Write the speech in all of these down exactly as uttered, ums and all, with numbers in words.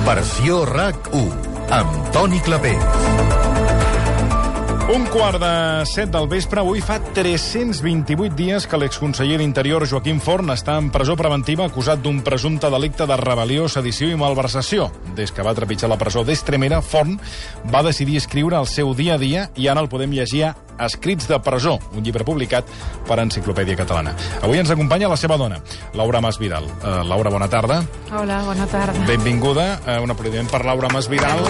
Versió RAC u, amb Toni Clapés. Un quart de set del vespre, avui fa tres-cents vint-i-vuit dies que l'exconseller d'Interior Joaquim Forn està en presó preventiva acusat d'un presumpte delicte de rebel·lió, sedició i malversació. Des que va trepitjar la presó d'Estremera, Forn va decidir escriure el seu dia a dia i ara el podem llegir a Escrits de presó, un llibre publicat per Enciclopèdia Catalana. Avui ens acompanya la seva dona, Laura Masvidal. Uh, Laura, bona tarda. Hola, bona tarda. Benvinguda. Uh, un aplaudiment per Laura Masvidal.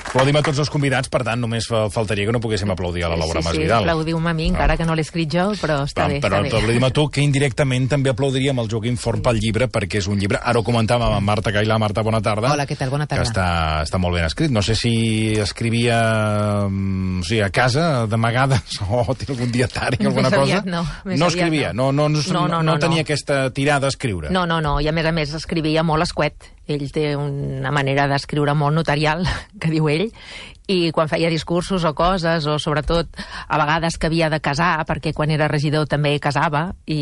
Aplaudim a tots els convidats, per tant, només faltaria que no poguéssim aplaudir a la Laura sí, sí, Masvidal. Sí, aplaudiu-me a mi, encara que no l'he escrit jo, però està però, bé, però, està bé. Però aplaudim a tu, que indirectament també aplaudiríem el Joaquim Forn pel llibre, perquè és un llibre, ara ho comentàvem amb Marta Cailà. Marta, bona tarda. Hola, què tal? Bona tarda. Que està, està molt ben escrit. No sé si escrivia o sigui, a casa, d'amagades, o té algun dietari, alguna més cosa. Aviat no. Més no aviat escrivia, no, no, no, no, no, no tenia no. aquesta tirada a escriure. No, no, no, i a més a més escrivia molt escuet. Ell té una manera d'escriure molt notarial, que diu ell, i quan feia discursos o coses, o sobretot a vegades que havia de casar, perquè quan era regidor també casava, i,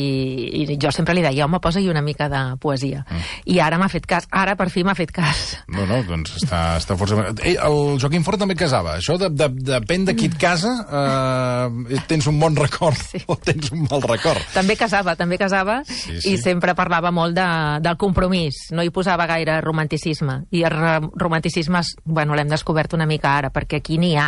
i jo sempre li deia, home, posa-hi una mica de poesia. Mm. I ara m'ha fet cas, ara per fi m'ha fet cas. No, no, doncs està, està força... Ell, el Joaquim Forn també casava. Això de, de, depèn de qui et casa, eh, tens un bon record sí. o tens un mal record. També casava, també casava, sí, sí. i sempre parlava molt de, del compromís. No hi posava gaire romanticisme. I el romanticisme, bueno, l'hem descobert una mica ara, perquè aquí n'hi ha.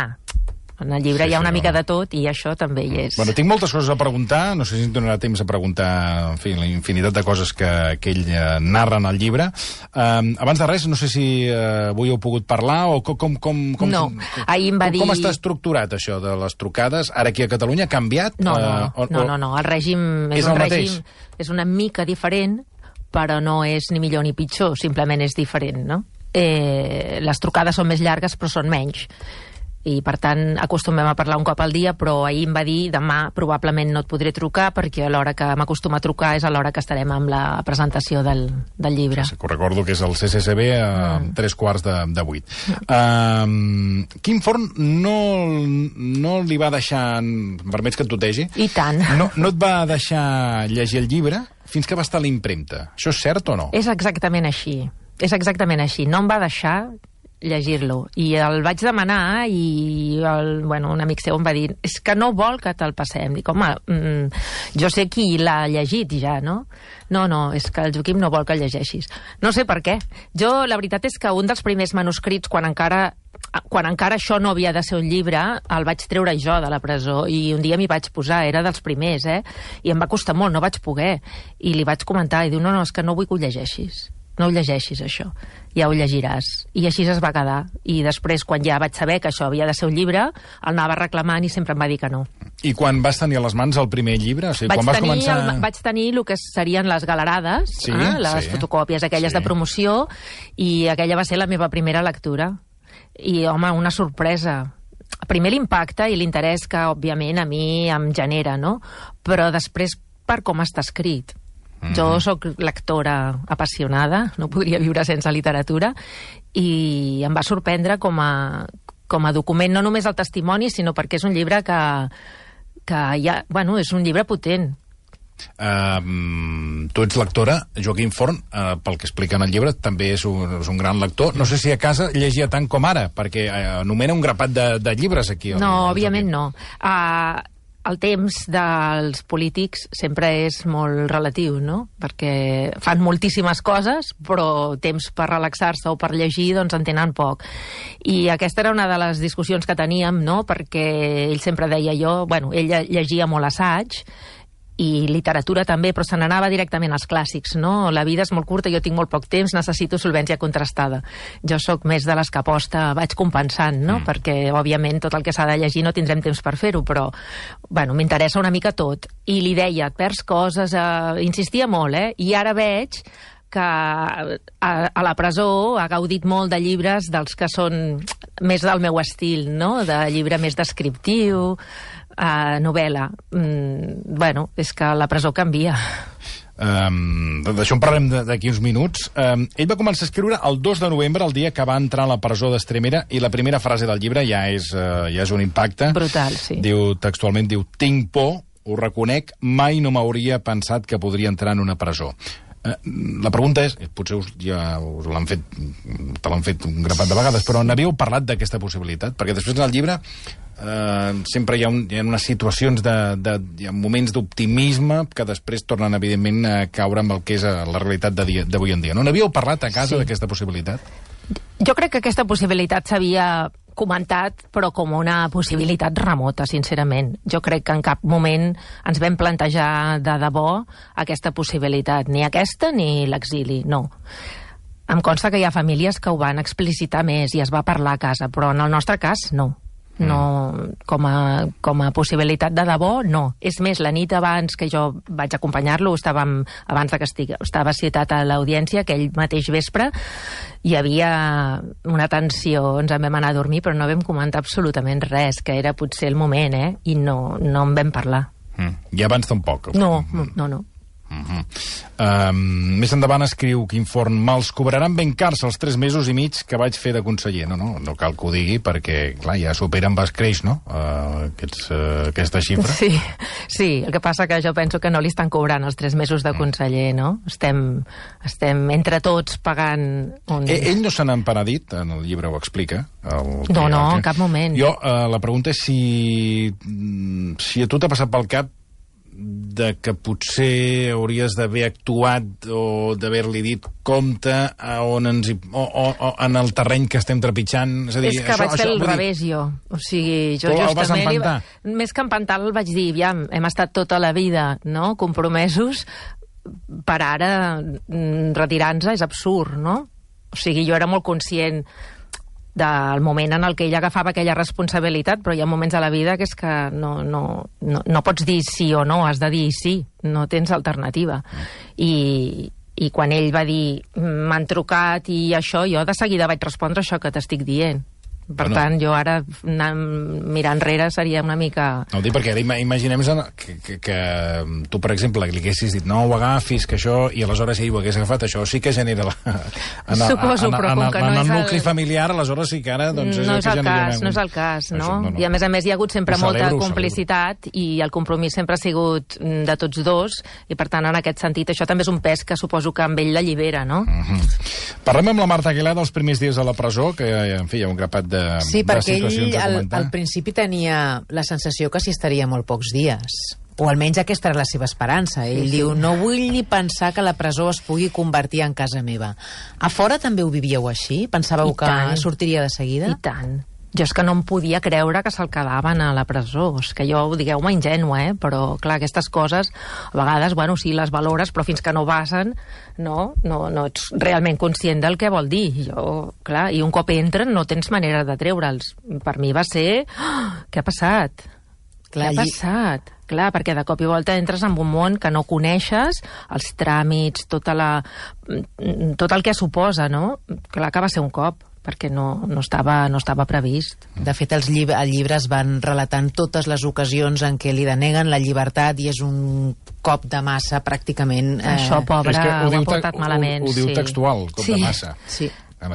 En el llibre sí, hi ha una sí, mica no. de tot i això també hi és. Bueno, tinc moltes coses a preguntar, no sé si em donarà temps a preguntar, en fi, la infinitat de coses que, que ell eh, narra en el llibre. Um, abans de res, no sé si uh, avui heu pogut parlar o com... com, com, com no, com, ahir em va com, dir... Com està estructurat això de les trucades? Ara aquí a Catalunya ha canviat? No, no, uh, o, no, no, no, el règim és, és un el règim... mateix? És una mica diferent, però no és ni millor ni pitjor, simplement és diferent, no? Eh, les trucades són més llargues però són menys i per tant acostumem a parlar un cop al dia, però ahir em va dir demà probablement no et podré trucar perquè a l'hora que m'acostuma a trucar és a l'hora que estarem amb la presentació del, del llibre. Sí, que recordo que és el C C C B a mm. tres quarts de, de vuit. Mm. Um, Quim Forn no, no li va deixar, em permets que et tutegi? I tant. No, no et va deixar llegir el llibre fins que va estar a l'impremta. Això és cert o no? És exactament així. És exactament així. No em va deixar llegir-lo. I el vaig demanar i el, bueno, un amic seu em va dir és que no vol que te'l passem. Dic, home, mm, jo sé qui l'ha llegit ja, no? No, no, és que el Joaquim no vol que el llegeixis. No sé per què. Jo, la veritat és que un dels primers manuscrits, quan encara quan encara això no havia de ser un llibre, el vaig treure jo de la presó i un dia m'hi vaig posar, era dels primers, eh? I em va costar molt, no vaig poder. I li vaig comentar i diu, no, no, és que no vull que ho llegeixis. No ho llegeixis, això. Ja ho llegiràs. I així es va quedar. I després, quan ja vaig saber que això havia de ser un llibre, el anava reclamant i sempre em va dir que no. I quan vas tenir a les mans el primer llibre? O sigui, vaig, quan vas tenir començar... el, vaig tenir el que serien les galerades, sí, eh? les sí, fotocòpies aquelles sí. de promoció, i aquella va ser la meva primera lectura. I, home, una sorpresa. Primer l'impacte i l'interès que, òbviament, a mi em genera, no? Però després, per com està escrit. Mm-hmm. Jo sóc lectora apassionada, no podria viure sense literatura, i em va sorprendre com a, com a document, no només el testimoni, sinó perquè és un llibre que, que ja, bueno, és un llibre potent. Uh, tu ets lectora, Joaquim Forn, uh, pel que explica en el llibre, també és un, és un gran lector. No sé si a casa llegia tant com ara, perquè uh, anomena un grapat de, de llibres aquí. El, no, el òbviament Joaquim. no. Uh, el temps dels polítics sempre és molt relatiu, no? Perquè fan moltíssimes coses, però temps per relaxar-se o per llegir, doncs en tenen poc. I aquesta era una de les discussions que teníem, no? Perquè ell sempre deia jo... Bueno, ell llegia molt assaig, i literatura també, però se n'anava directament als clàssics, no? La vida és molt curta, jo tinc molt poc temps, necessito solvència contrastada. Jo sóc més de les que aposta, vaig compensant, no? Mm. Perquè, òbviament, tot el que s'ha de llegir no tindrem temps per fer-ho, però, bueno, m'interessa una mica tot. I li deia, et perds coses, eh... insistia molt, eh? I ara veig que a, a la presó ha gaudit molt de llibres dels que són més del meu estil, no? De llibre més descriptiu, Uh, novel·la. Mm, bueno, és que la presó canvia. Um, D'això en parlem d'aquí uns minuts. Um, ell va començar a escriure el dos de novembre, el dia que va entrar a la presó d'Estremera, i la primera frase del llibre ja és, uh, ja és un impacte. Brutal, sí. Diu, textualment, diu, tinc por, ho reconec, mai no m'hauria pensat que podria entrar en una presó. Eh, la pregunta és, potser us, ja us l'han fet, te l'han fet un grapat de vegades, però n'havíeu parlat d'aquesta possibilitat? Perquè després en el llibre eh, sempre hi ha, un, hi ha unes situacions de, de hi ha moments d'optimisme que després tornen, evidentment, a caure amb el que és la realitat d'avui en dia. No n'havíeu parlat a casa sí. d'aquesta possibilitat? Jo crec que aquesta possibilitat s'havia comentat, però com una possibilitat remota, sincerament. Jo crec que en cap moment ens vam plantejar de debò aquesta possibilitat, ni aquesta ni l'exili, no. Em consta que hi ha famílies que ho van explicitar més i es va parlar a casa, però en el nostre cas no. No, com a, com a possibilitat de debò, no. És més, la nit abans que jo vaig acompanyar-lo, estàvem, abans de que estig, estava citat a l'audiència, aquell mateix vespre, hi havia una tensió, ens en vam anar a dormir, però no vam comentar absolutament res, que era potser el moment, eh? I no, no en vam parlar. Mm. I abans tampoc? No, no, no. Uh-huh. Um, més endavant escriu Quim Forn: me'ls cobraran ben cars els tres mesos i mig que vaig fer de conseller. No, no, no cal que ho digui perquè, clar, ja supera amb escreix, no?, uh, aquests, uh, aquesta xifra. Sí, sí, el que passa que jo penso que no li estan cobrant els tres mesos de conseller, no? Estem, estem entre tots pagant un... Eh, ell no se n'ha empenedit, en el llibre ho explica. El no, no, en cap moment. Jo, uh, la pregunta és si, si a tu t'ha passat pel cap de que potser hauries d'haver actuat o d'haver-li dit compte a on ens hi, o, o, o en el terreny que estem trepitjant. És a dir, és que això, vaig fer això, el revés, dir... jo. O sigui, jo tu justament... El vas li... Més que empantar, el vaig dir, ja, hem estat tota la vida, no?, compromesos, per ara retirar-nos és absurd, no? O sigui, jo era molt conscient del moment en el que ell agafava aquella responsabilitat, però hi ha moments a la vida que és que no, no, no, no pots dir sí o no, has de dir sí, no tens alternativa. I, i quan ell va dir m'han trucat i això, jo de seguida vaig respondre això que t'estic dient. Per bueno. tant, jo ara, mirar enrere, seria una mica... No ho dic perquè ara imaginem que, que, que tu, per exemple, li haguessis dit no ho agafis, que això, i aleshores ell ho hagués agafat, això sí que genera la... En, Suposo, en, però en, com que en, no en és el el nucli familiar, aleshores sí que ara... Doncs, és no el és el cas, no és el cas, no? Això, no, no. I a més a més hi ha hagut sempre celebro, molta complicitat i el compromís sempre ha sigut de tots dos i per tant, en aquest sentit, això també és un pes que suposo que amb ell l'allibera, no? Uh-huh. Parlem amb la Marta Aguilar dels primers dies a la presó, que, en fi, hi ha un grapat de... Sí, perquè ell al, al principi tenia la sensació que s'hi estaria molt pocs dies. O almenys aquesta era la seva esperança. Ell sí, diu, sí. no vull ni pensar que la presó es pugui convertir en casa meva. A fora també ho vivíeu així? Pensàveu que sortiria de seguida? I tant. Jo és que no em podia creure que se'l quedaven a la presó. És que jo, digueu-me ingènua, eh? Però, clar, aquestes coses, a vegades, bueno, sí, les valores, però fins que no passen, no, no, no ets realment conscient del que vol dir. Jo, clar, i un cop entren no tens manera de treure'ls. Per mi va ser... Oh, què ha passat? Clar, què ha passat? Clar, perquè de cop i volta entres en un món que no coneixes, els tràmits, tota la... tot el que suposa, no? Clar que va ser un cop, perquè no, no, estava, no estava previst. De fet, els llib el llibre es van relatant totes les ocasions en què li deneguen la llibertat i és un cop de massa, pràcticament. Eh... Això, pobre, ho, ho ha portat malament. Ho, ho diu sí. textual, cop sí. de massa. Sí.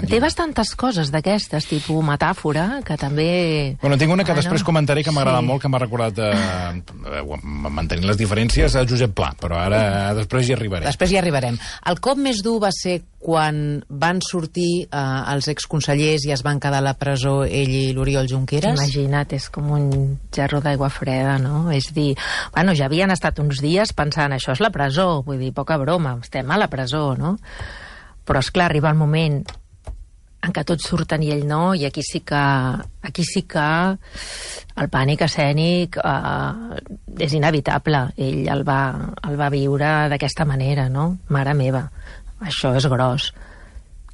Té bastantes coses d'aquestes, tipus metàfora, que també... Bueno, tinc una que bueno, després comentaré que m'agrada sí. molt, que m'ha recordat eh, mantenint les diferències a Josep Pla, però ara després hi arribarem. Després hi arribarem. El cop més dur va ser quan van sortir eh, els exconsellers i es van quedar a la presó ell i l'Oriol Junqueras? Imagina't, és com un gerro d'aigua freda, no? És dir, bueno, ja havien estat uns dies pensant, això és la presó, vull dir, poca broma, estem a la presó, no? Però, esclar, arriba el moment en què tots surten i ell no, i aquí sí que, aquí sí que el pànic escènic eh, és inevitable. Ell el va, el va viure d'aquesta manera, no? Mare meva, això és gros.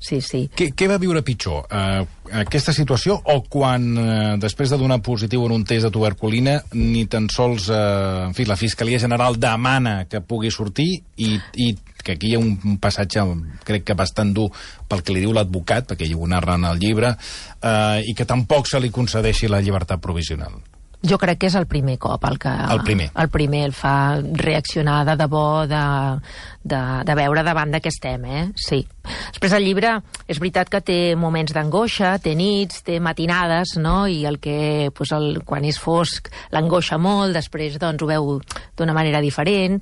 Sí, sí. Què, què va viure pitjor? Uh, aquesta situació o quan, uh, després de donar positiu en un test de tuberculina, ni tan sols, uh, en fi, la Fiscalia General demana que pugui sortir i, i que aquí hi ha un, un passatge, crec que bastant dur pel que li diu l'advocat, perquè ell ho narra en el llibre, uh, i que tampoc se li concedeixi la llibertat provisional. Jo crec que és el primer cop el que... El primer. El primer el fa reaccionar de debò, de, de, de veure davant de què estem, eh? Sí. Després el llibre, és veritat que té moments d'angoixa, té nits, té matinades, no? I el que, pues, el, quan és fosc, l'angoixa molt, després doncs, ho veu d'una manera diferent,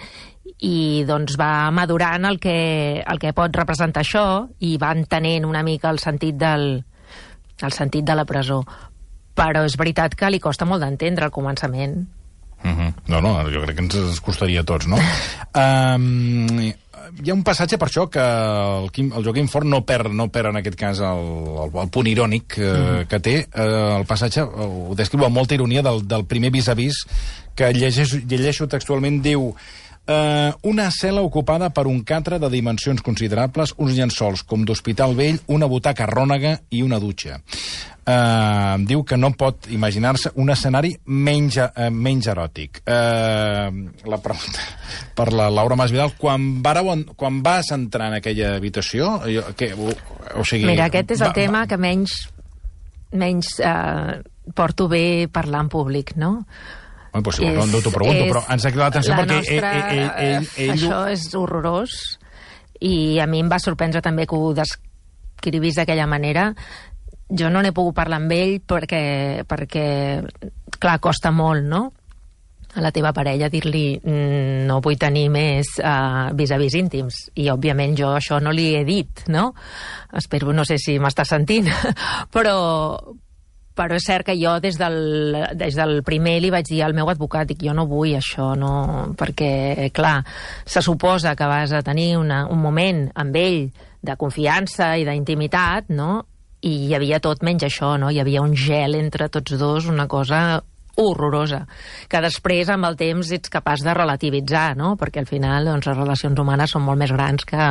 i doncs va madurant el que, el que pot representar això i va entenent una mica el sentit del, el sentit de la presó. Però és veritat que li costa molt d'entendre al començament. Uh-huh. No, no, jo crec que ens, ens costaria a tots, no? um, hi ha un passatge per això que el, Quim, el Joaquim Forn no perd, no perd en aquest cas el, el, el punt irònic eh, uh-huh. que té. Eh, el passatge ho descriu amb molta ironia del, del primer vis-a-vis que llegeixo, llegeixo textualment, diu... Uh, una cel·la ocupada per un catre de dimensions considerables, uns llençols com d'hospital vell, una butaca rònega i una dutxa. Uh, diu que no pot imaginar-se un escenari menys, uh, menys eròtic. Uh, la pregunta per la Laura Masvidal, quan, vareu, quan vas entrar en aquella habitació... Jo, que, o, o sigui, Mira, aquest és el va, tema va... que menys, menys uh, porto bé parlar en públic, no? Bueno, pues, és, no, no t'ho pregunto, és, però ens ha cridat l'atenció perquè nostra, ell, ell, ell, ell... Això és horrorós i a mi em va sorprendre també que ho descrivís d'aquella manera. Jo no n'he pogut parlar amb ell perquè, perquè, clar, costa molt, no?, a la teva parella dir-li no vull tenir més uh, vis-a-vis íntims. I, òbviament, jo això no li he dit, no? Espero, no sé si m'està sentint, però... Però és cert que jo des del, des del primer li vaig dir al meu advocat, dic, jo no vull això, no, perquè, clar, se suposa que vas a tenir una, un moment amb ell de confiança i d'intimitat, no?, i hi havia tot menys això, no?, hi havia un gel entre tots dos, una cosa horrorosa, que després, amb el temps, ets capaç de relativitzar, no?, perquè al final, doncs, les relacions humanes són molt més grans que,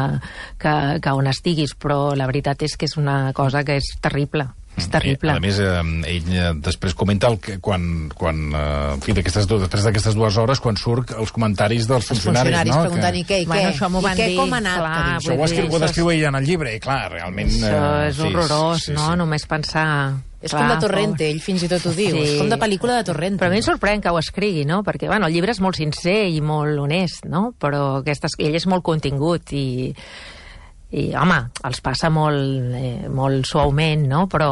que, que on estiguis, però la veritat és que és una cosa que és terrible. És terrible. A més, eh, ell eh, després comenta el que quan, quan eh, en fi, d'aquestes dues, després d'aquestes dues hores, quan surt els comentaris dels funcionaris, els funcionaris no? preguntant, que... i què, i bueno, què, això m'ho i van què, dir, com ha anat? clar, Això ho descriu, ho descriu ell en el llibre, i clar, realment... Això eh, és sí, horrorós, sí, sí, no?, sí. només pensar... És com de Torrente, ell fins i tot ho diu, Sí. és com de pel·lícula de Torrente. Però a mi em sorprèn que ho escrigui, no?, perquè, bueno, el llibre és molt sincer i molt honest, no?, però aquestes, ell és molt contingut i... i, home, els passa molt, eh, molt suaument, no?, però...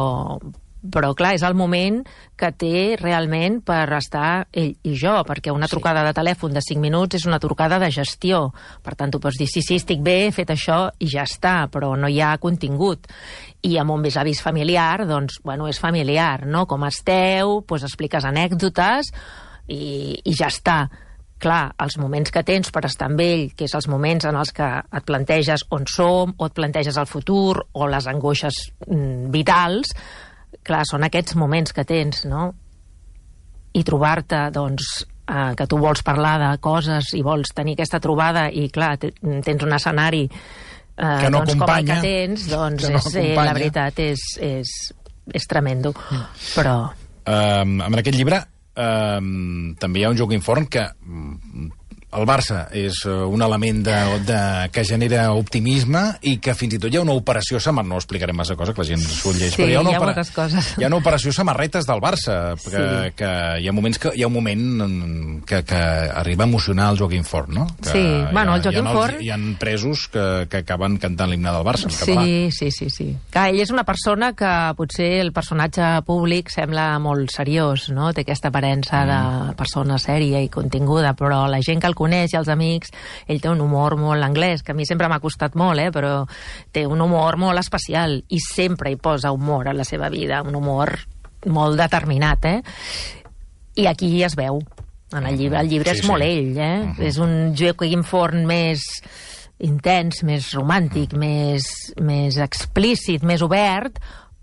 però, clar, és el moment que té realment per estar ell i jo, perquè una trucada de telèfon de cinc minuts és una trucada de gestió. Per tant, tu pots dir, sí, sí, estic bé, he fet això i ja està, però no hi ha contingut. I amb un vis-a-vis familiar, doncs, bueno, és familiar, no? Com esteu, doncs expliques anècdotes i, i ja està. Clar, els moments que tens per estar amb ell, que és els moments en els que et planteges on som, o et planteges el futur, o les angoixes mm, vitals, clar, són aquests moments que tens, no? I trobar-te, doncs, eh, que tu vols parlar de coses i vols tenir aquesta trobada i, clar, tens un escenari eh, que no doncs, com el que acompanya, tens, doncs, que no és, eh, la veritat, és, és, és tremendo. Mm. Però... Um, en aquest llibre um, també hi ha un Joaquim Forn que... Um, el Barça és un element de, de, que genera optimisme i que fins i tot hi ha una operació samarreta, no explicarem massa cosa, que la gent s'ho llegeix, sí, però hi ha, una hi ha opera... moltes coses. Hi ha una operació samarretes del Barça, que, sí. que hi ha moments que hi ha un moment que, que arriba a emocionar el Joaquim Forn, no? Que sí, bueno, el Joaquim hi ha, Forn... Hi ha presos que, que acaben cantant l'himne del Barça en català. Sí, sí, sí, sí. Clar, ell és una persona que potser el personatge públic sembla molt seriós, no? Té aquesta aparença mm. de persona sèria i continguda, però la gent que el coneix i els amics, ell té un humor molt anglès, que a mi sempre m'ha costat molt, eh? Però té un humor molt especial i sempre hi posa humor a la seva vida, un humor molt determinat, eh? I aquí es veu, en el llibre. El llibre sí, és molt sí. ell, eh? Uh-huh. És un Joaquim Forn més intens, més romàntic, més, més explícit, més obert,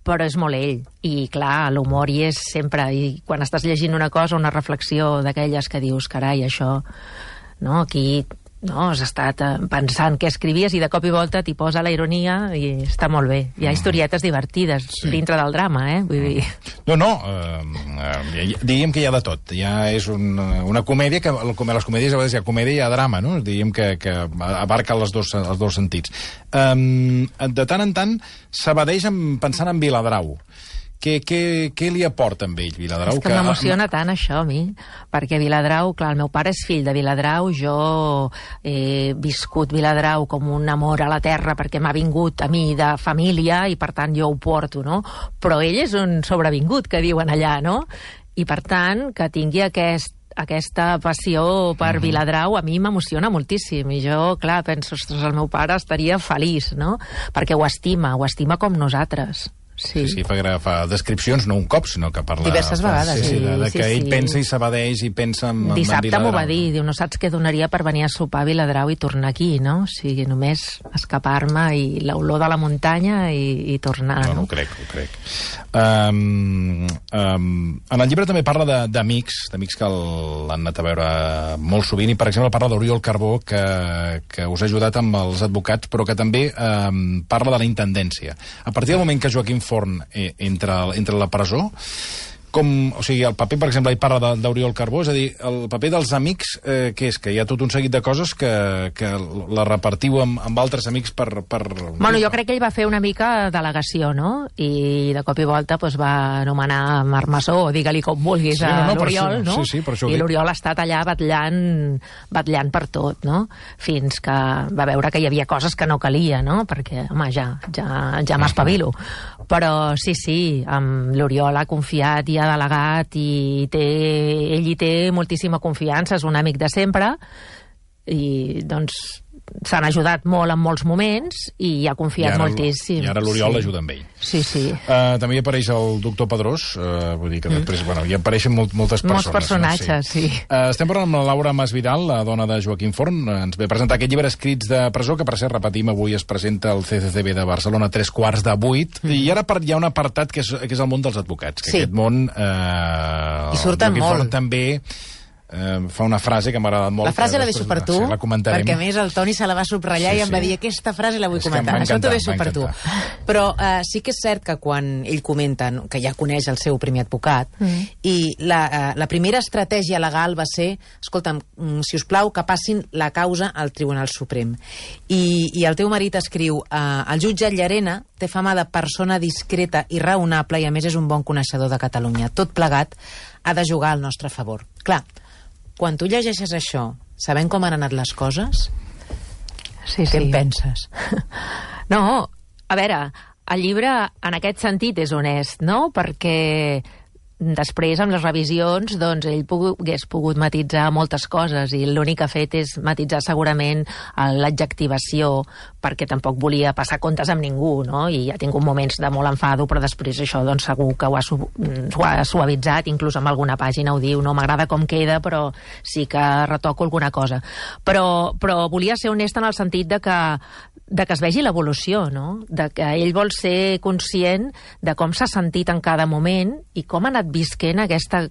però és molt ell. I, clar, l'humor hi és sempre. I quan estàs llegint una cosa, una reflexió d'aquelles que dius, carai, això... No, aquí no, has estat pensant què escrivies i de cop i volta t'hi posa la ironia i està molt bé. Hi ha historietes divertides sí. dintre del drama, eh? Vull dir... No, no, eh, eh, diríem que hi ha de tot. Ja és un, una comèdia, que les comèdies a vegades hi ha comèdia i hi ha drama, no? Diríem que, que abarca els dos, els dos sentits. Um, de tant en tant s'evadeix pensant en Viladrau, Què, què, què li aporta amb ell, Viladrau? És que, que m'emociona tant això a mi, perquè Viladrau, clar, el meu pare és fill de Viladrau, jo he viscut Viladrau com un amor a la terra perquè m'ha vingut a mi de família i per tant jo ho porto, no? Però ell és un sobrevingut, que diuen allà, no? I per tant, que tingui aquest aquesta passió per uh-huh. Viladrau a mi m'emociona moltíssim i jo, clar, penso, ostres, el meu pare estaria feliç, no? Perquè ho estima, ho estima com nosaltres. Sí, sí, sí fa, fa descripcions, no un cop, sinó que parla... Diverses vegades. Sí, sí, de, de sí, que ell sí. pensa i s'abadeix i pensa en, en Dissabte m'ho va dir, diu, no saps què donaria per venir a sopar a Viladrau i tornar aquí, no? O sigui, només escapar-me i l'olor de la muntanya i, i tornar, no? No, ho crec, ho crec. Um, um, en el llibre també parla d'amics, d'amics que l'han anat a veure molt sovint, i per exemple parla d'Oriol Carbó, que, que us ha ajudat amb els advocats, però que també um, parla de la intendència. A partir del moment que Joaquim Forn eh, entra, entra a la presó, com, o sigui, el paper, per exemple, hi parla d'Oriol Carbó, és a dir, el paper dels amics, eh, què és? Que hi ha tot un seguit de coses que, que la repartiu amb, amb altres amics per, per... Bueno, jo crec que ell va fer una mica delegació, no? I de cop i volta pues, va anomenar Marc Massó, o digue-li com vulguis, sí, no, no, a l'Oriol, no? Sí, sí, per això I l'Oriol ha estat allà batllant, batllant per tot, no? Fins que va veure que hi havia coses que no calia, no? Perquè, home, ja, ja, ja m'espavilo. Però sí, sí, amb l'Oriol ha confiat i ha delegat i té, ell hi té moltíssima confiança, és un amic de sempre i doncs s'han ajudat molt en molts moments i ha confiat I ara, moltíssim. I ara l'Oriol sí. l'ajuda amb ell. Sí, sí. Uh, també hi apareix el doctor Pedrós, uh, vull dir que després, mm. bueno, hi apareixen molt, moltes persones. Molts personatges, no? Sí. sí. Uh, estem parlant amb la Laura Masvidal, la dona de Joaquim Forn. Uh, ens ve a presentar aquest llibre Escrits de presó, que per cert, repetim, avui es presenta al C C C B de Barcelona a tres quarts de vuit, mm. i ara hi ha un apartat que és, que és el món dels advocats, que sí. aquest món... Uh, I surten Joaquim molt. Forn també... Uh, fa una frase que m'ha agradat molt. La frase la deixo per tu, sí, la perquè a més el Toni se la va subratllar sí, i em va dir aquesta frase la vull és comentar. Això t'ho deixo per tu. Però uh, sí que és cert que quan ell comenta no, que ja coneix el seu primer advocat mm. i la, uh, la primera estratègia legal va ser, escolta'm, si us plau, que passin la causa al Tribunal Suprem. I, i el teu marit escriu uh, el jutge Llarena té fama de persona discreta i raonable i a més és un bon coneixedor de Catalunya. Tot plegat ha de jugar al nostre favor. Clar, quan tu llegeixes això, sabent com han anat les coses, sí, què sí. en penses? No, a veure, el llibre en aquest sentit és honest, no? Perquè després, amb les revisions, doncs ell pogut, hagués pogut matitzar moltes coses i l'únic que ha fet és matitzar segurament l'adjectivació perquè tampoc volia passar comptes amb ningú, no? I ha tingut moments de molt enfado, però després això doncs segur que ho ha, su ho ha suavitzat, inclús amb alguna pàgina ho diu, no m'agrada com queda, però sí que retoco alguna cosa. Però, però volia ser honesta en el sentit de que de que es vegi l'evolució, no? De que ell vol ser conscient de com s'ha sentit en cada moment i com ha anat visquent aquesta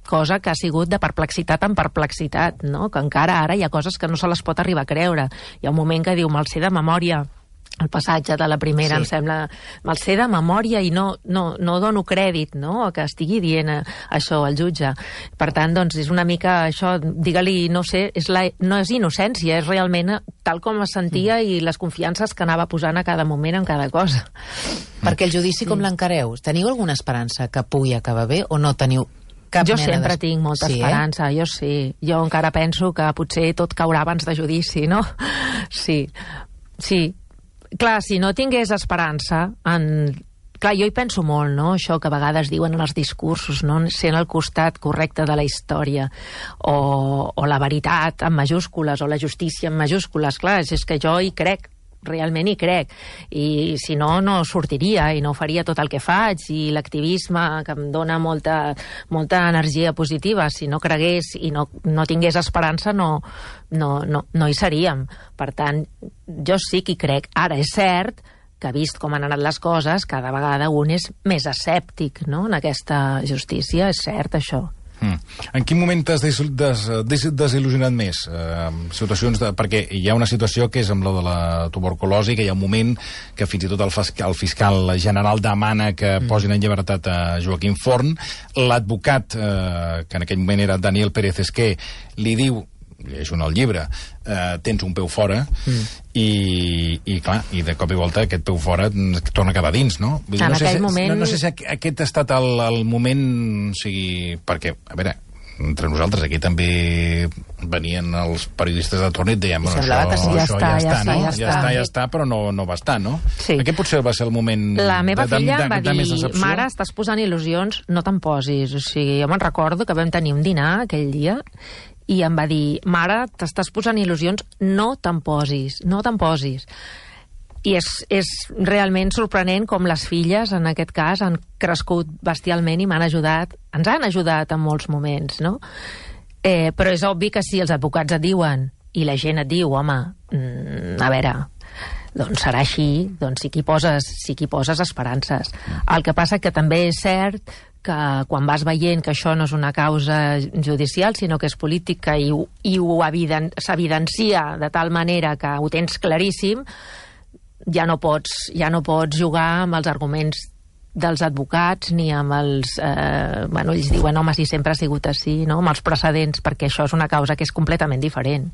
cosa que ha sigut de perplexitat en perplexitat, no? Que encara ara hi ha coses que no se les pot arribar a creure. Hi ha un moment que diu, me'l sé de memòria, el passatge de la primera, sí. Em sembla, me'l sé de memòria i no, no, no dono crèdit, no?, que estigui dient això al jutge. Per tant, doncs, és una mica això, digue-li, no sé, és la, no és innocència, és realment tal com es sentia mm. i les confiances que anava posant a cada moment en cada cosa. Perquè el judici com l'encareu? Teniu alguna esperança que pugui acabar bé o no teniu cap jo mena sempre de... tinc molta sí, esperança, eh? jo sí. Jo encara penso que potser tot caurà abans de judici, no? Sí, sí. Clar, si no tingués esperança en... Clar, jo hi penso molt, no?, això que a vegades diuen en els discursos, no?, sent el costat correcte de la història, o, o la veritat en majúscules, o la justícia en majúscules. Clar, és que jo hi crec, realment hi crec, i si no, no sortiria i no faria tot el que faig, i l'activisme que em dona molta, molta energia positiva, si no cregués i no, no tingués esperança, no, no, no, no hi seríem. Per tant, jo sí que hi crec. Ara, és cert que, vist com han anat les coses, cada vegada un és més escèptic, no?, en aquesta justícia. És cert, això. Mm. En quin moment t'has des, des, des, desil·lusionat més? Eh, situacions de, perquè hi ha una situació que és amb la de la tuberculosi, que hi ha un moment que fins i tot el, el fiscal general demana que mm. posin en llibertat a Joaquim Forn. L'advocat, eh, que en aquell moment era Daniel Pérez Esquer, li diu llegeixo en el llibre, eh, tens un peu fora mm. i, i, clar, i de cop i volta aquest peu fora torna a quedar dins, no? Vull dir, en no sé aquell si, moment... No, no sé si aquest ha estat el, el moment, o sigui, perquè, a veure, entre nosaltres aquí també venien els periodistes de torn i et deien, bueno, això, que sí, ja això està, ja, ja està, no? està, ja, ja està, ja està, però no, no va estar, no? Sí. Aquest potser va ser el moment La meva de, filla de, em va de, de més dir, decepció. mare, estàs posant il·lusions, no te'n posis. O sigui, jo me'n recordo que vam tenir un dinar aquell dia i em va dir, mare, t'estàs posant il·lusions, no te'n posis, no te'n posis. I és, és realment sorprenent com les filles, en aquest cas, han crescut bestialment i m'han ajudat, ens han ajudat en molts moments, no? Eh, però és obvi que si els advocats et diuen i la gent et diu, home, mm, a veure, doncs serà així, doncs sí que hi poses, sí que hi poses esperances. El que passa que també és cert que quan vas veient que això no és una causa judicial, sinó que és política i, i ho eviden, s'evidencia de tal manera que ho tens claríssim, ja no pots, ja no pots jugar amb els arguments dels advocats ni amb els... Eh, bueno, ells diuen, home, si sempre ha sigut així, no? Amb els precedents, perquè això és una causa que és completament diferent.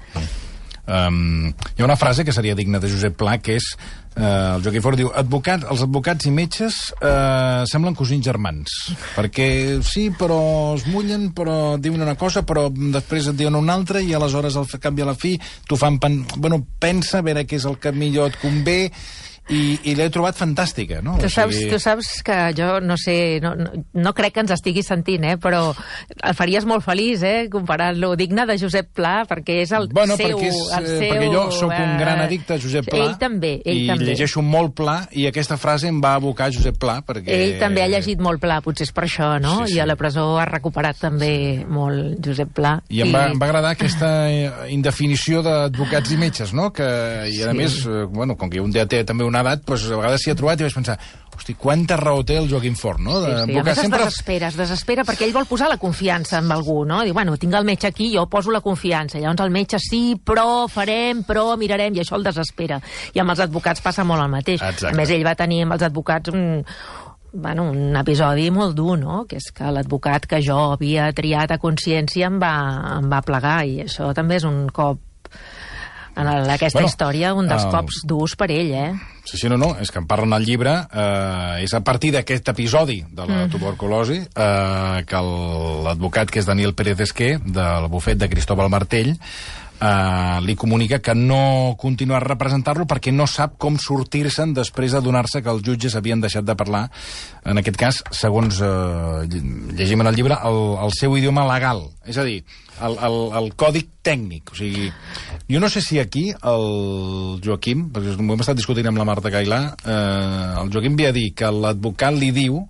Um, hi ha una frase que seria digna de Josep Pla, que és, eh, el Joaquim Forn diu, advocat, els advocats i metges eh, semblen cosins germans, perquè sí, però es mullen, però diuen una cosa, però després et diuen una altra, i aleshores al canvi a la fi t'ho fan... Pen... Bueno, pensa a veure què és el que millor et convé, i, i l'he trobat fantàstica, no? Tu saps, o sigui... tu saps que jo no sé, no, no, no crec que ens estiguis sentint, eh, però el faries molt feliç, eh, comparant-lo digne de Josep Pla, perquè és el bueno, seu... Perquè, és, el seu perquè jo sóc un gran eh, addicte a Josep Pla. Ell també, ell i també. llegeixo molt Pla, i aquesta frase em va abocar a Josep Pla, perquè... Ell també ha llegit molt Pla, potser és per això, no? Sí, sí. I a la presó ha recuperat també sí. molt Josep Pla. I em va, em va agradar aquesta indefinició d'advocats i metges, no? Que, I a Sí. més, bueno, com que un dia té també una edat, doncs a vegades s'hi ha trobat i vaig pensar, hosti, quanta raó té el Joaquim Forn, no? De, Sí, sí. A més sempre... es desespera, es desespera perquè ell vol posar la confiança en algú, no? Diu, bueno, tinc el metge aquí, jo poso la confiança. Llavors el metge, sí, però farem, però mirarem, i això el desespera. I amb els advocats passa molt el mateix. Exacte. A més, ell va tenir amb els advocats un, bueno, un episodi molt dur, no? Que és que l'advocat que jo havia triat a consciència em va, em va plegar, i això també és un cop en el, aquesta bueno, història, un dels el... cops durs per ell, eh? Sí, sí, no, no, és que en parlen al llibre, eh, és a partir d'aquest episodi de la mm. tuberculosi eh, que l'advocat, que és Daniel Pérez Esquer, del bufet de Cristóbal Martell, eh, li comunica que no continua a representar-lo perquè no sap com sortir-se'n després de donar-se que els jutges havien deixat de parlar, en aquest cas, segons eh, llegim en el llibre, el, el seu idioma legal, és a dir, el, el, el còdic tècnic. O sigui, jo no sé si aquí el Joaquim, perquè ho hem estat discutint amb la Marta Cailà, eh, el Joaquim ve a dir que l'advocat li diu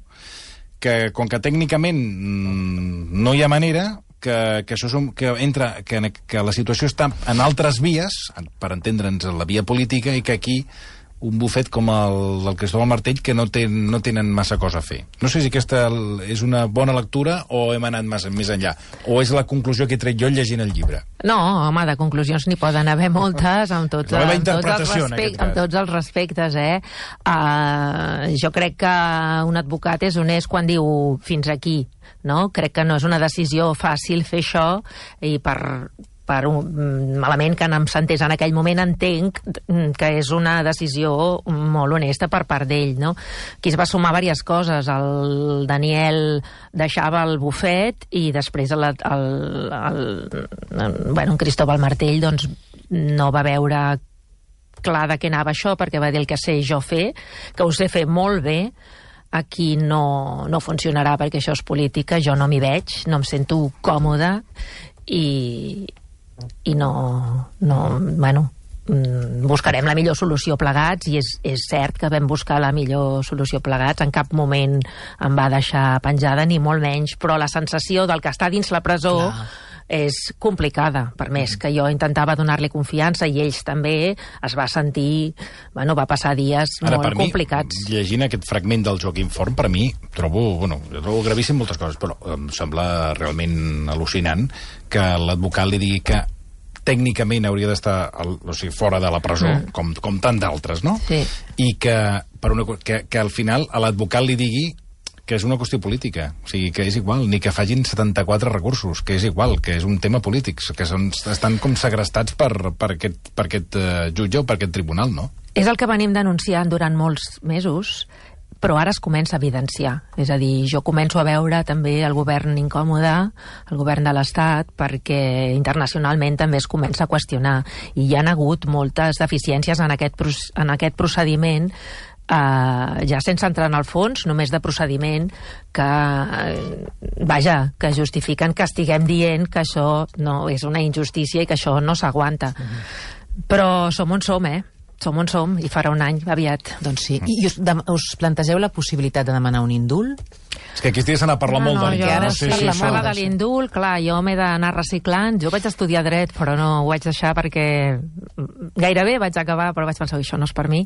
que, com que tècnicament no hi ha manera, que, que, això som, que, entra, que, que la situació està en altres vies, per entendre'ns la via política, i que aquí un bufet com el del Cristóbal Martell que no, ten, no tenen massa cosa a fer. No sé si aquesta és una bona lectura o hem anat massa més enllà, o és la conclusió que he tret jo llegint el llibre. No, home, de conclusions n'hi poden haver moltes, amb tots, la meva amb tots, els, interpretació, en respect, aquest cas. amb tots els respectes, eh? Uh, jo crec que un advocat és honest quan diu fins aquí, no? Crec que no és una decisió fàcil fer això, i per... per un malament que em sentés en aquell moment, entenc que és una decisió molt honesta per part d'ell, no? Aquí es va sumar diverses coses. El Daniel deixava el bufet i després el, el, el, el, bueno, en Cristóbal Martell doncs, no va veure clar de què anava això, perquè va dir el que sé jo fer, que ho sé fer molt bé, aquí no, no funcionarà perquè això és política, jo no m'hi veig, no em sento còmode, i i no, no, bueno, buscarem la millor solució plegats, i és, és cert que vam buscar la millor solució plegats, en cap moment em va deixar penjada, ni molt menys, però la sensació del que està dins la presó Clar. és complicada, per més que jo intentava donar-li confiança, i ells també, es va sentir, bueno, va passar dies Ara, molt mi, complicats. Llegint aquest fragment del Joaquim Forn, per mi, trobo, bueno, jo trobo gravíssim moltes coses, però em sembla realment al·lucinant que l'advocat li digui que tècnicament hauria d'estar, o sigui, fora de la presó, mm. com, com tant d'altres, no? Sí. I que, per una, que, que al final a l'advocat li digui que és una qüestió política. O sigui, que és igual, ni que facin setanta-quatre recursos, que és igual, que és un tema polític, que són, estan com segrestats per, per aquest, per aquest uh, jutge o per aquest tribunal, no? És el que venim denunciant durant molts mesos, però ara es comença a evidenciar. És a dir, jo començo a veure també el govern incòmode, el govern de l'Estat, perquè internacionalment també es comença a qüestionar. I hi ha hagut moltes deficiències en aquest, en aquest procediment, eh, ja sense entrar en el fons, només de procediment, que, eh, vaja, que justifiquen que estiguem dient que això no és una injustícia i que això no s'aguanta. Mm-hmm. Però som on som, eh? Som on som, i farà un any, aviat. Doncs sí. I us, de, us plantegeu la possibilitat de demanar un indult? És que aquests dies se n'ha parlat no, molt no, de jo, ara no sé si parla de l'indult, clar, jo m'he d'anar reciclant. Jo vaig estudiar dret, però no ho vaig deixar perquè gairebé vaig acabar, però vaig pensar que això no és per mi.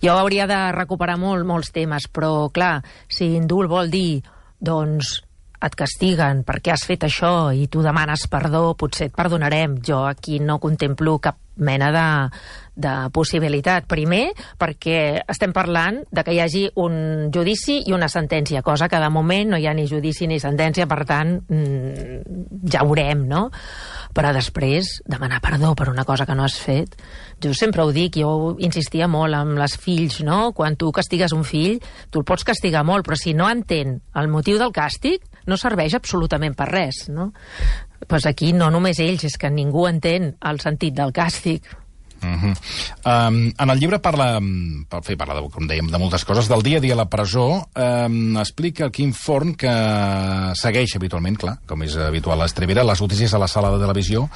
Jo hauria de recuperar molt, molts temes, però clar, si indult vol dir, doncs, et castiguen perquè has fet això i tu demanes perdó, potser et perdonarem. Jo aquí no contemplo cap mena de, de possibilitat. Primer, perquè estem parlant de que hi hagi un judici i una sentència, cosa que de moment no hi ha ni judici ni sentència, per tant, mmm, ja veurem, no? Però després, demanar perdó per una cosa que no has fet. Jo sempre ho dic, jo insistia molt amb les fills, no? Quan tu castigues un fill, tu el pots castigar molt, però si no entén el motiu del càstig, no serveix absolutament per res, no? Pues aquí no només ells, és que ningú entén el sentit del càstig. Uh-huh. um, en el llibre parla, per fer, parla de, com dèiem, de moltes coses, del dia a dia a la presó. Um, explica el Quim Forn que segueix habitualment, clar, com és habitual a Estribera, les notícies a la sala de televisió,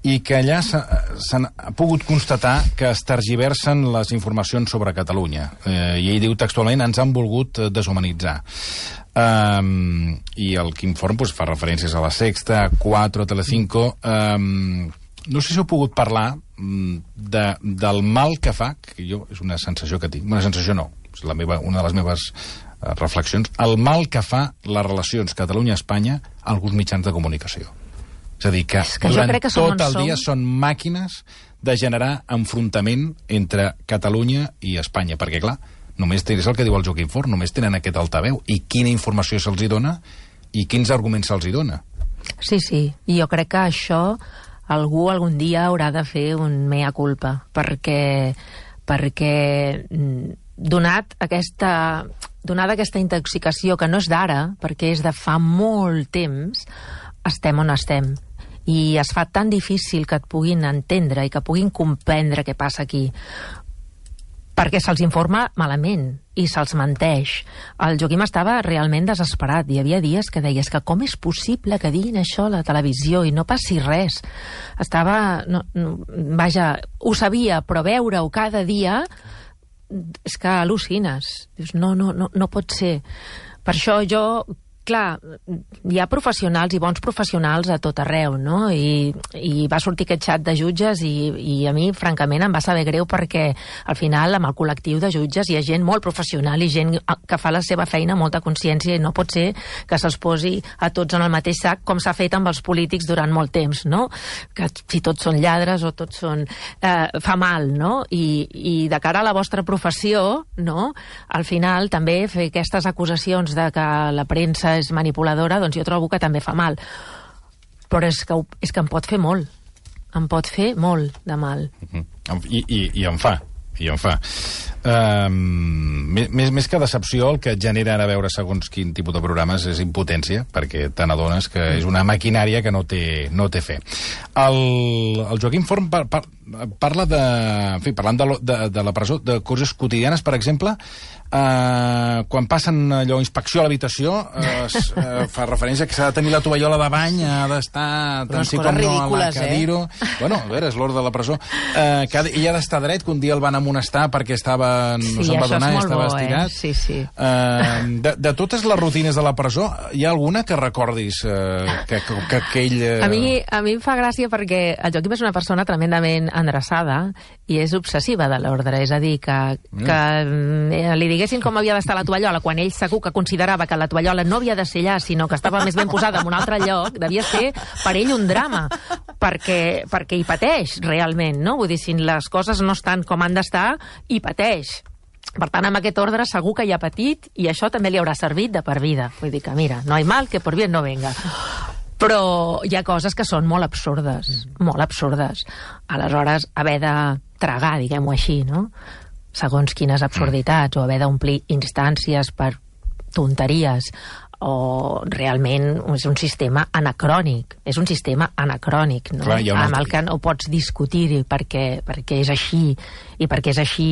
i que allà s'han pogut constatar que es tergiversen les informacions sobre Catalunya. Eh, I ell diu textualment, ens han volgut deshumanitzar. Um, I el Quim Forn pues, fa referències a La Sexta, a quatre, a Telecinco. Um, no sé si heu pogut parlar de, del mal que fa, que jo és una sensació que tinc, una sensació no, és la meva, una de les meves uh, reflexions, el mal que fa les relacions Catalunya-Espanya a alguns mitjans de comunicació. És a dir, que, que durant que tot el som... dia són màquines de generar enfrontament entre Catalunya i Espanya, perquè, clar, només és el que diu el Joaquim Forn, només tenen aquest altaveu. I quina informació se'ls hi dona i quins arguments se'ls hi dona. Sí, sí, i jo crec que això algú algun dia haurà de fer un mea culpa, perquè, perquè donat aquesta, donada aquesta intoxicació, que no és d'ara, perquè és de fa molt temps, estem on estem. I es fa tan difícil que et puguin entendre i que puguin comprendre què passa aquí, perquè se'ls informa malament i se'ls menteix. El Joaquim estava realment desesperat. Hi havia dies que deies que com és possible que diguin això a la televisió i no passi res. Estava... No, no, vaja, ho sabia, però veure-ho cada dia és que al·lucines. Dius, no, no, no, no pot ser. Per això jo... Clar, hi ha professionals i bons professionals a tot arreu, no? I, i va sortir aquest xat de jutges i, i a mi, francament, em va saber greu perquè al final, amb el col·lectiu de jutges hi ha gent molt professional i gent que fa la seva feina amb molta consciència i no pot ser que se'ls posi a tots en el mateix sac com s'ha fet amb els polítics durant molt temps, no? Que si tots són lladres o tots són... Eh, fa mal, no? I, i de cara a la vostra professió, no? Al final, també fer aquestes acusacions de que la premsa és manipuladora, doncs jo trobo que també fa mal. Però és que, és que em pot fer molt. Em pot fer molt de mal. Uh-huh. I, i, i em fa. I em fa. Um, més, més que decepció, el que et genera ara veure segons quin tipus de programes és impotència, perquè te n'adones que és una maquinària que no té, no té fe. El, el Joaquim Forn par, par, parla de... En fi, parlant de, de, de la presó, de coses quotidianes, per exemple, Uh, quan passen allò, inspecció a l'habitació, uh, uh, fa referència que s'ha de tenir la tovallola de bany, ha d'estar tant sí com no a la cadiro. Eh? Bueno, a veure, és l'ordre de la presó. Uh, que ha, I ha d'estar dret, que un dia el van amonestar perquè estava, no sí, se'n va donar i estava bo, estirat. Eh? Sí, sí. Uh, de, de totes les rutines de la presó, hi ha alguna que recordis uh, que, que, que, que ell... Uh... A, mi, a mi em fa gràcia perquè el Joaquim és una persona tremendament endreçada i és obsessiva de l'ordre, és a dir, que, que mm. li diguessin com havia d'estar la tovallola quan ell segur que considerava que la tovallola no havia de ser allà, sinó que estava més ben posada en un altre lloc, devia ser per ell un drama, perquè, perquè hi pateix realment, no? Vull dir, si les coses no estan com han d'estar, hi pateix. Per tant, amb aquest ordre segur que hi ha patit i això també li haurà servit de per vida. Vull dir que, mira, no hi mal que por bien no venga. Però hi ha coses que són molt absurdes, molt absurdes. Aleshores, haver de tragar, diguem-ho així, no? Segons quines absurditats, o haver d'omplir instàncies per tonteries, o realment és un sistema anacrònic, és un sistema anacrònic, no? Clar, una... amb el que no pots discutir perquè, perquè és així, i perquè és així,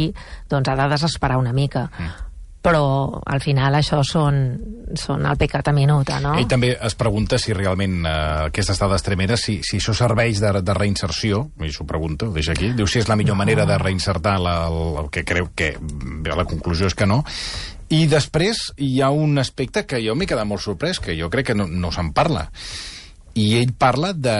doncs ha de desesperar una mica. Mm. Però al final això són, són el pecat a minuta, no? Ell també es pregunta si realment eh, aquesta estada extremera, si, si això serveix de, de reinserció, i s'ho pregunta, ho deixa aquí, diu si és la millor no. manera de reinsertar la, el, el que creu que... Bé, la conclusió és que no. I després hi ha un aspecte que jo m'he quedat molt sorprès, que jo crec que no, no se'n parla. I ell parla de,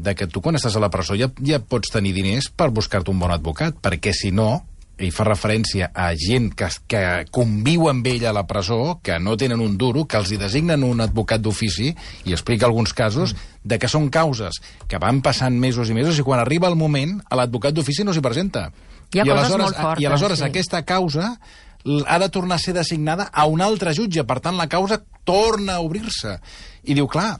de que tu quan estàs a la presó ja, ja pots tenir diners per buscar-te un bon advocat, perquè si no, ell fa referència a gent que, que conviu amb ell a la presó, que no tenen un duro, que els hi designen un advocat d'ofici, i explica alguns casos de que són causes que van passant mesos i mesos, i quan arriba el moment, l'advocat d'ofici no s'hi presenta. Hi ha I coses molt fortes. I aleshores sí. aquesta causa ha de tornar a ser designada a un altre jutge, per tant la causa torna a obrir-se. I diu, clar,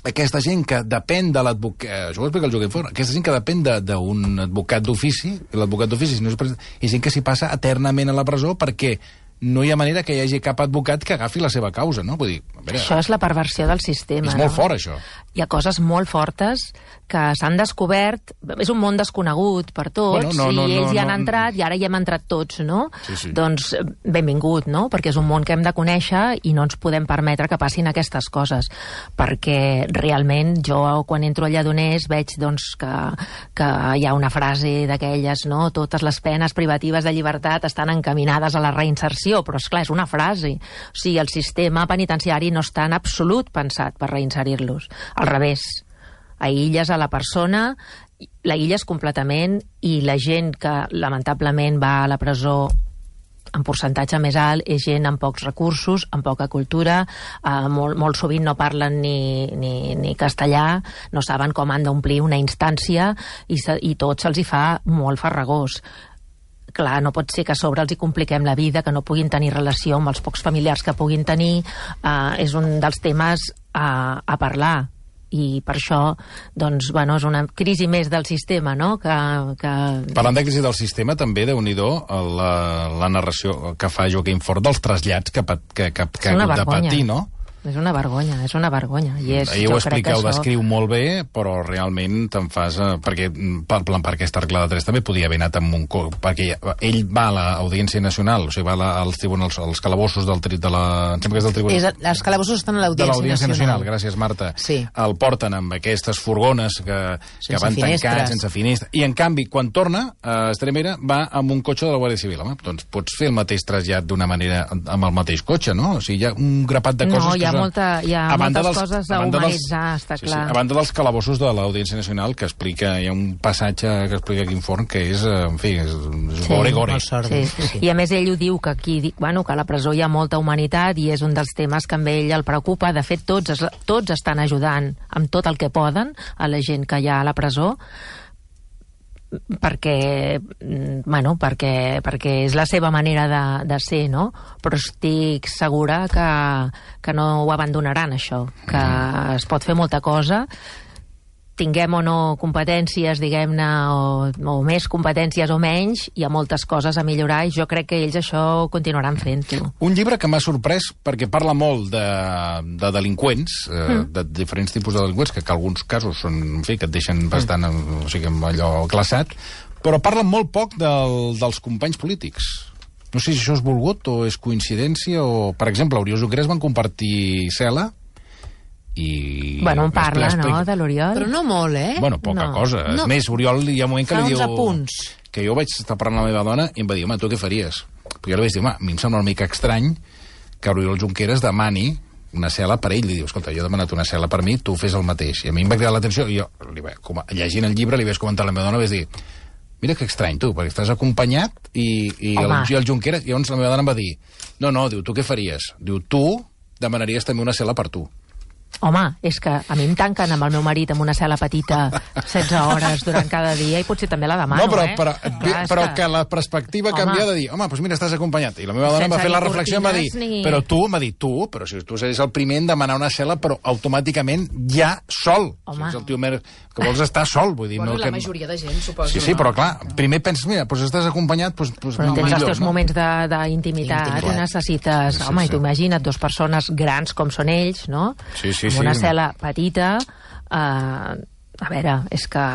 aquesta gent que depèn de l'advocat... Això ho explica el Joaquim Forn. Aquesta gent que depèn d'un advocat d'ofici, l'advocat d'ofici no és, és gent que s'hi passa eternament a la presó perquè no hi ha manera que hi hagi cap advocat que agafi la seva causa, no? Vull dir, a veure, això és la perversió del sistema. És molt no? fort, això. Hi ha coses molt fortes que s'han descobert, és un món desconegut per tots, bueno, no, no, i ells no, hi han no, entrat, i ara hi hem entrat tots, no? Sí, sí. Doncs benvingut, no? Perquè és un món que hem de conèixer i no ens podem permetre que passin aquestes coses, perquè realment jo, quan entro a Lledoners, veig doncs, que, que hi ha una frase d'aquelles, no? Totes les penes privatives de llibertat estan encaminades a la reinserció, però és clar, és una frase. O sigui, el sistema penitenciari no està en absolut pensat per reinserir-los. Al revés, aïlles a la persona, l'aïlles completament, i la gent que lamentablement va a la presó en percentatge més alt és gent amb pocs recursos, amb poca cultura, eh, molt, molt sovint no parlen ni, ni, ni castellà, no saben com han d'omplir una instància, i, se, i tot se'ls hi fa molt farragós. Clar, no pot ser que a sobre els hi compliquem la vida, que no puguin tenir relació amb els pocs familiars que puguin tenir. Uh, és un dels temes a, a parlar. I per això, doncs, bueno, és una crisi més del sistema, no? Que, que... Parlant de crisi del sistema, també, déu-n'hi-do, la, la narració que fa Joaquim Forn dels trasllats que, que, que, que ha hagut de patir, no? És una vergonya, és una vergonya. I és, Ahir ho explica, ho això... descriu molt bé, però realment te'n fas... Eh, perquè per, per aquesta arcla de tres també podia haver anat amb un... Co perquè ell va a l'Audiència Nacional, o sigui, va a als tribunals, als calabossos del, tri, de la... Em sembla que és del tribunal... És, els calabossos estan a l'Audiència Nacional. Nacional. Gràcies, Marta. Sí. El porten amb aquestes furgones que, que van tancats, sense finestres. I, en canvi, quan torna a Estremera, va amb un cotxe de la Guàrdia Civil. Home, doncs pots fer el mateix trasllat d'una manera amb el mateix cotxe, no? O sigui, hi ha un grapat de coses... No, hi ha que molta... Hi ha a moltes dels, coses a, a humanitzar, dels, està sí, clar. Sí, a banda dels calabossos de l'Audiència Nacional, que explica, hi ha un passatge que explica Quim Forn que és, en fi, és, és sí, gore, gore. Sí. Sí. I a més ell ho diu, que aquí, bueno, que a la presó hi ha molta humanitat i és un dels temes que amb ell el preocupa. De fet, tots, tots estan ajudant amb tot el que poden a la gent que hi ha a la presó, perquè, bueno, perquè, perquè és la seva manera de, de ser, no? Però estic segura que, que no ho abandonaran, això, que mm. es pot fer molta cosa, tinguem o no competències, diguem-ne, o, o més competències o menys, hi ha moltes coses a millorar i jo crec que ells això ho continuaran fent-ho. Un llibre que m'ha sorprès perquè parla molt de, de delinqüents, eh, mm. de diferents tipus de delinqüents, que, que alguns casos són, en fi, que et deixen bastant, mm. o sigui, allò glaçat, però parla molt poc del, dels companys polítics. No sé si això és volgut o és coincidència, o, per exemple, Oriol Junqueras van compartir cel·la, i... Bueno, en parla, no?, de l'Oriol. Però no molt, eh? Bueno, poca no. cosa. No. És més, Oriol hi ha un moment que fa li diu... Apunts. Que jo vaig estar parlant amb la meva dona i em va dir, home, tu què faries? Perquè jo li vaig dir, home, a mi em sembla una mica estrany que Oriol Junqueras demani una cel·la per ell. Li diu, escolta, jo he demanat una cel·la per mi, tu fes el mateix. I a mi em va cridar l'atenció i jo, li va, com, llegint el llibre, li vaig comentar a la meva dona, vaig dir, mira que estrany, tu, perquè estàs acompanyat i, i, el, i el Junqueras... I llavors la meva dona em va dir, no, no, diu, tu què faries? Diu, tu demanaries també una cel·la per tu. Home, és que a mi em tanquen amb el meu marit en una cel·la petita setze hores durant cada dia i potser també la demano, no, però, eh? però, Clar, però que... que la perspectiva Home. canvia de dir, home, doncs mira, estàs acompanyat. I la meva dona Sense m'ha fet la ni reflexió i m'ha dit, cortines ni- però tu, m'ha dit, tu, però si tu series el primer en demanar una cel·la, però automàticament ja sol. Home. Si ets el tio mer que vols estar sol, vull dir... Bueno, no la que... majoria de gent, suposo. Sí, sí, no? però clar, primer penses, mira, doncs estàs acompanyat, doncs, doncs Però tens els millor, teus no? moments de- d'intimitat i Intimitat. necessites... Sí, sí, Home, sí. i tu imagina't, dues persones grans com són ells, no? Sí, sí, Amb sí. una cel·la petita... Eh, a veure, és que...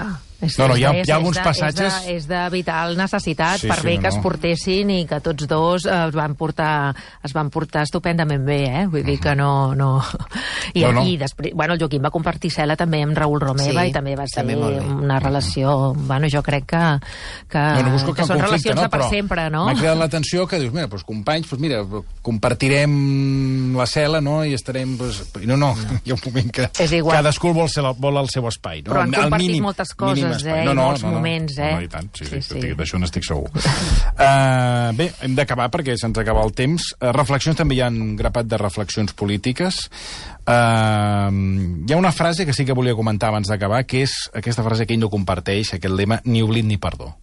És, No, no, és hi ha- de- hi ha alguns és de- passatges- És de, és de vital necessitat, Sí, per sí, bé no, que es no. portessin i que tots dos eh, es van portar es van portar estupendament bé, eh? Vull dir que no... no... I, No, no. i després, bueno, el Joaquim va compartir cel·la també amb Raül Romeva Sí, i també va ser també molt bé. una relació... Bueno, jo crec que, que, No, no busco que cap són conflicte, relacions no? de per Però sempre, no? m'ha cridat l'atenció que dius, mira, doncs companys, doncs mira, compartirem la cel·la, no?, i estarem... Doncs... I no, no, hi ha un moment que És igual. cadascú vol, ser, vol el seu espai. No? Però han El compartit mínim- moltes coses, mínim espai. eh, No, i no, molts no, no. moments, eh? No, no, i tant, sí, sí, Sí, sí. sí. D'això n'estic segur. uh, bé, hem d'acabar perquè se'ns acaba el temps. Uh, reflexions, també hi ha un grapat de reflexions polítiques. Uh, hi ha una frase que sí que volia comentar abans d'acabar, que és aquesta frase que ell no comparteix, aquest lema, ni oblit ni perdó.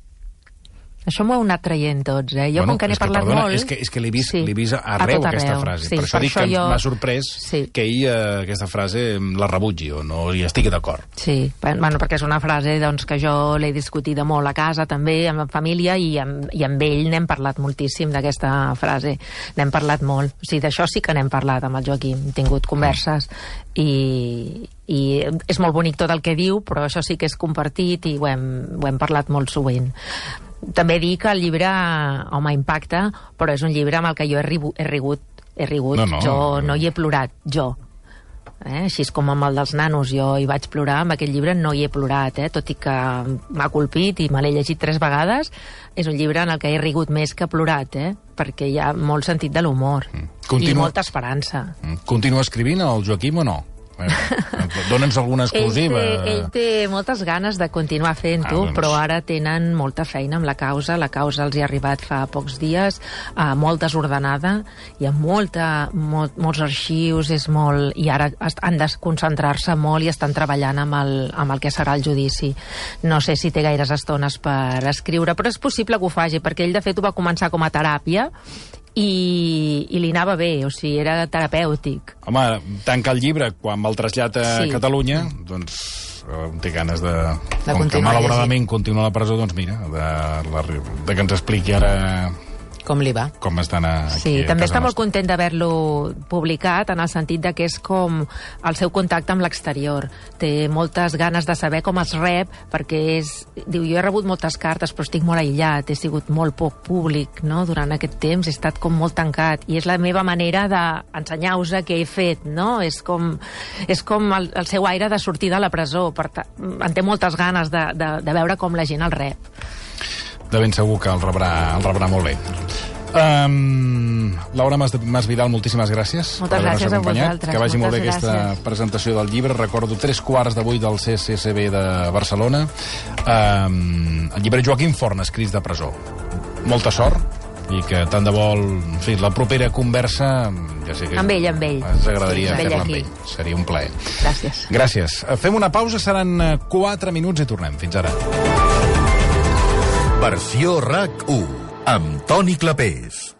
Això m'ho heu anat traient tots, eh? Jo, Bueno, com que n'he és que, parlat perdona, molt... És que, és que l'he vist, Sí. l'he vist A arreu, tot aquesta arreu. frase. Sí, per això per dic això que jo- m'ha sorprès Sí. que ell eh, aquesta frase la rebutgi o no hi estigui d'acord. Sí, bueno, perquè és una frase doncs, que jo l'he discutida molt a casa també, amb la família, i amb, i amb ell n'hem parlat moltíssim d'aquesta frase. N'hem parlat molt. O sigui, d'això sí que n'hem parlat amb el Joaquim. Hem tingut converses i, i és molt bonic tot el que diu, però això sí que és compartit i ho hem, ho hem parlat molt sovint. També dic que el llibre, home, impacta, però és un llibre amb el que jo he, ribu, he rigut. He rigut. No, no. Jo no hi he plorat, jo. Eh? Així com amb el dels nanos jo hi vaig plorar, amb aquest llibre no hi he plorat, eh? Tot i que m'ha colpit i me l'he llegit tres vegades. És un llibre en el que he rigut més que plorat, eh? Perquè hi ha molt sentit de l'humor Continua- i molta esperança. Continua escrivint el Joaquim o no? Dóna'ns alguna exclusiva. Ell té, ell té moltes ganes de continuar fent-ho, Ah, doncs. però ara tenen molta feina amb la causa. La causa els hi ha arribat fa pocs dies, eh, molt desordenada, hi ha molta, molt, molts arxius, és molt, i ara est- han de concentrar-se molt i estan treballant amb el, amb el que serà el judici. No sé si té gaires estones per escriure, però és possible que ho faci, perquè ell de fet ho va començar com a teràpia i, i li anava bé, o sigui, era terapèutic. Home, tanca el llibre quan va el trasllat a Sí. Catalunya, doncs eh, té ganes de... De com que continuar malauradament continua a la presó, doncs mira, de, la, de que ens expliqui ara Com li va? com estan aquí Sí, a també casa està molt nostra. content d'haver-lo publicat, en el sentit de que és com el seu contacte amb l'exterior. Té moltes ganes de saber com es rep, perquè és... Diu, jo he rebut moltes cartes, però estic molt aïllat, he sigut molt poc públic, no?, durant aquest temps, he estat com molt tancat, i és la meva manera d'ensenyar-vos què he fet, no? És com, és com el, el seu aire de sortir de la presó, per ta... en té moltes ganes de, de, de veure com la gent el rep. De ben segur que el rebrà, el rebrà molt bé. Um, Laura Mas, Mas Vidal, moltíssimes gràcies. Moltes per haver-nos gràcies a acompanyat. vosaltres, Que vagi molt bé moltes aquesta gràcies. presentació del llibre. Recordo tres quarts de vuit del C C C B de Barcelona. Um, el llibre Joaquim Forn, escrits de presó. Molta sort i que tant de vol... En fi, la propera conversa... Ja sé que Amb ell, amb ell. Ens agradaria Sí, amb ell fer-la amb aquí. ell. Seria un plaer. Gràcies. Gràcies. Fem una pausa, seran eh, quatre minuts i tornem. Fins ara. Versió RAC u amb Toni Clapés.